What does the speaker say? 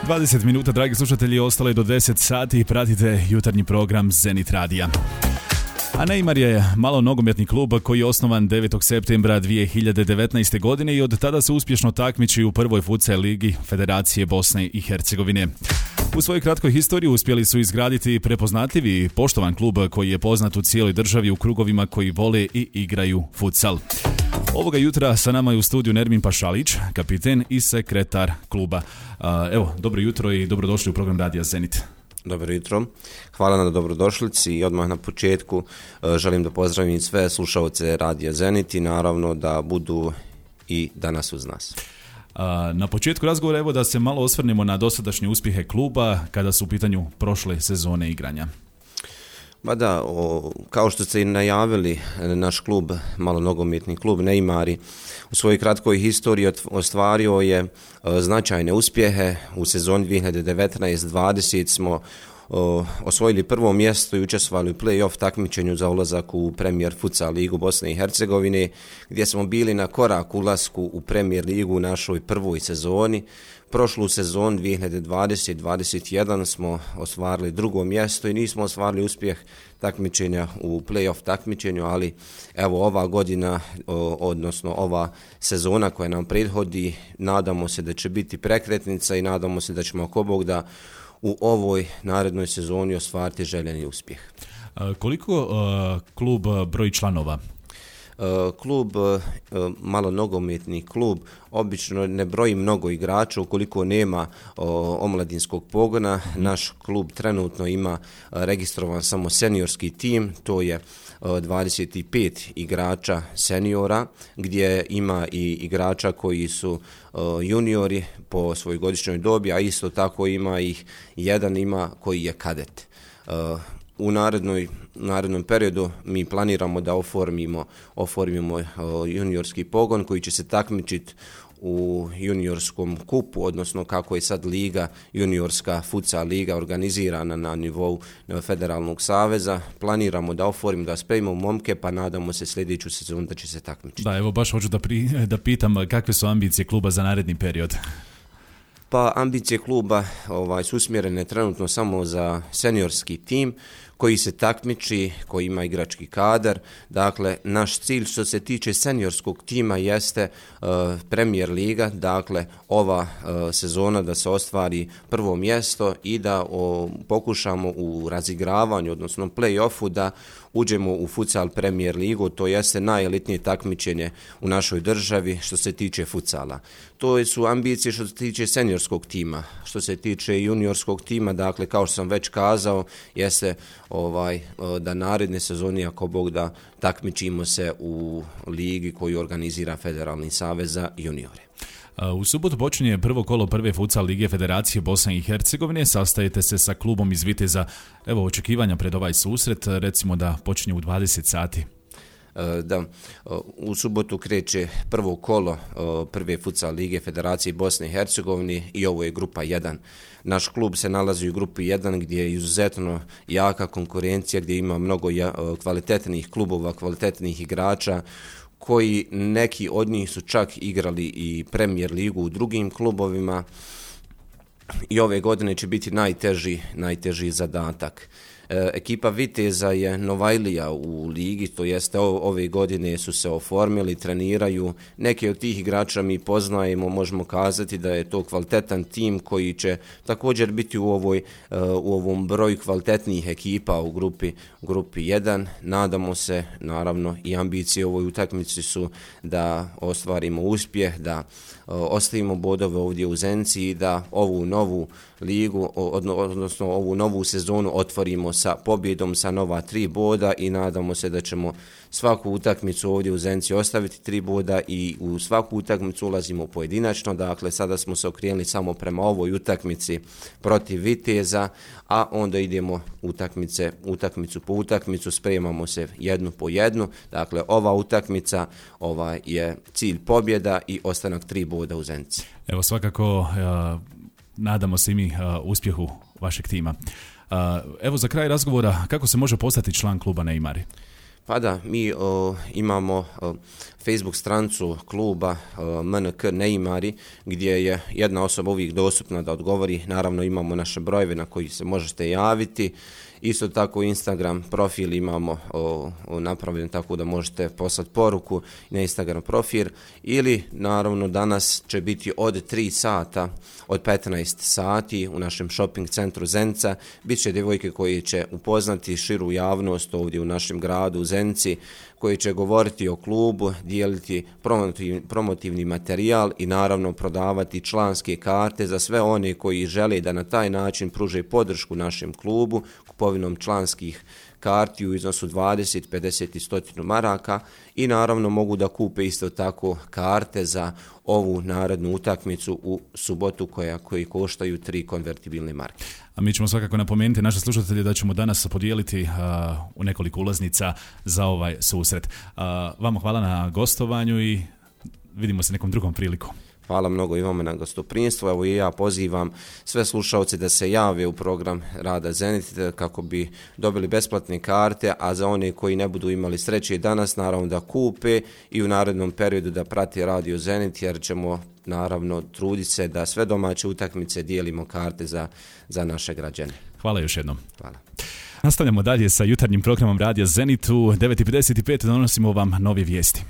20 minuta, dragi slušatelji, ostalo je do 10 sati i pratite jutarnji program Zenit Radija. A Neymar je malo nogometni klub koji je osnovan 9. septembra 2019. godine i od tada se uspješno takmiči u prvoj futsal ligi Federacije Bosne i Hercegovine. U svojoj kratkoj historiji uspjeli su izgraditi prepoznatljiv i poštovan klub koji je poznat u cijeloj državi u krugovima koji vole i igraju futsal. Ovoga jutra sa nama je u studiju Nermin Pašalić, kapiten i sekretar kluba. Evo, dobro jutro i dobrodošli u program Radija Zenit. Dobro jutro, hvala na dobrodošlici i odmah na početku želim da pozdravim sve slušalce Radija Zenit i naravno da budu i danas uz nas. Na početku razgovora evo da se malo osvrnemo na dosadašnje uspjehe kluba kada su u pitanju prošle sezone igranja. Ba da, kao što ste i najavili, naš klub, malo nogometni klub Neymari, u svojoj kratkoj historiji ostvario je značajne uspjehe. U sezoni 2019-20 smo osvojili prvo mjesto i učestvovali u play-off takmičenju za ulazak u Premier Futsal ligu Bosne i Hercegovine, gdje smo bili na korak ulasku u Premier ligu u našoj prvoj sezoni. Prošlu sezonu 2020-2021 smo ostvarili drugo mjesto i nismo ostvarili uspjeh takmičenja u play-off takmičenju, ali evo ova godina, odnosno ova sezona koja nam prethodi, nadamo se da će biti prekretnica i nadamo se da ćemo ako Bog da u ovoj narednoj sezoni ostvariti željeni uspjeh. Koliko klub broji članova? Klub, malo nogometni klub, obično ne broji mnogo igrača ukoliko nema omladinskog pogona. Naš klub trenutno ima registrovan samo seniorski tim, to je 25 igrača seniora, gdje ima i igrača koji su juniori po svojoj godišnjoj dobi, a isto tako ima ih jedan koji je kadet. U narednom periodu mi planiramo da oformimo juniorski pogon koji će se takmičiti u juniorskom kupu, odnosno kako je sad liga, juniorska futsal liga organizirana na nivou Federalnog saveza. Planiramo da oformimo, da spremimo momke, pa nadamo se sljedeću sezonu da će se takmičiti. Da, evo baš hoću da pitam kakve su ambicije kluba za naredni period. Pa ambicije kluba su usmjerene trenutno samo za seniorski tim koji se takmiči, koji ima igrački kadar. Dakle, naš cilj što se tiče seniorskog tima jeste Premier liga, dakle ova sezona da se ostvari prvo mjesto i da pokušamo u razigravanju, odnosno play-offu da uđemo u futsal Premier ligu, to jeste najelitnije takmičenje u našoj državi što se tiče futsala. To su ambicije što se tiče seniorskog tima. Što se tiče juniorskog tima, dakle kao što sam već kazao, jeste da naredne sezoni ako Bog da takmičimo se u ligi koju organizira Federalni savez za juniore. U subotu počinje prvo kolo prve futsal lige Federacije Bosne i Hercegovine. Sastajete se sa klubom iz Viteza. Evo očekivanja pred ovaj susret, recimo da počinje u 20 sati. Da, u subotu kreće prvo kolo prve futsal lige Federacije Bosne i Hercegovine i ovo je grupa 1. Naš klub se nalazi u grupi 1 gdje je izuzetno jaka konkurencija, gdje ima mnogo kvalitetnih klubova, kvalitetnih igrača, koji neki od njih su čak igrali i Premier ligu u drugim klubovima i ove godine će biti najteži zadatak. Ekipa Viteza je Novajlija u ligi, to jeste ove godine su se oformili, treniraju. Neki od tih igrača mi poznajemo, možemo kazati da je to kvalitetan tim koji će također biti u ovom broju kvalitetnih ekipa u grupi 1. Nadamo se, naravno i ambicije u ovoj utakmici su da ostvarimo uspjeh, da ostavimo bodove ovdje u Zenci i da ovu novu ligu, odnosno ovu novu sezonu otvorimo sa pobjedom sa nova 3 boda i nadamo se da ćemo svaku utakmicu ovdje u Zenci ostaviti 3 boda i u svaku utakmicu ulazimo pojedinačno. Dakle, sada smo se okrenuli samo prema ovoj utakmici protiv Viteza, a onda idemo utakmicu po utakmicu, spremamo se jednu po jednu. Dakle, ova utakmica je cilj pobjeda i ostanak 3 boda u Zenci. Evo svakako nadamo se i mi uspjehu vašeg tima. Evo za kraj razgovora, kako se može postati član kluba Neymari? Pa da, mi imamo Facebook strancu kluba MNK Neimari, gdje je jedna osoba uvijek dostupna da odgovori. Naravno imamo naše brojeve na koji se možete javiti. Isto tako Instagram profil imamo napravljen tako da možete poslati poruku na Instagram profil, ili naravno danas će biti od 3 sata, od 15 sati u našem shopping centru Zenica. Biće djevojke koji će upoznati širu javnost ovdje u našem gradu u Zenici, koji će govoriti o klubu, dijeliti promotivni materijal i naravno prodavati članske karte za sve one koji žele da na taj način pruže podršku našem klubu kupovinom članskih karti u iznosu 20, 50 i 100 maraka, i naravno mogu da kupe isto tako karte za ovu narednu utakmicu u subotu koji koštaju 3 konvertibilne marke. A mi ćemo svakako napomenuti naše slušatelje da ćemo danas podijeliti u nekoliko ulaznica za ovaj susret. Vama hvala na gostovanju i vidimo se nekom drugom prilikom. Hvala mnogo i vama na gostoprinjstvu. Evo i ja pozivam sve slušalce da se jave u program Rada Zenit kako bi dobili besplatne karte, a za one koji ne budu imali sreće danas, naravno da kupe i u narednom periodu da prati Radio Zenit, jer ćemo naravno truditi se da sve domaće utakmice dijelimo karte za naše građane. Hvala još jednom. Hvala. Nastavljamo dalje sa jutarnjim programom Radija Zenit. U 9:55 donosimo vam nove vijesti.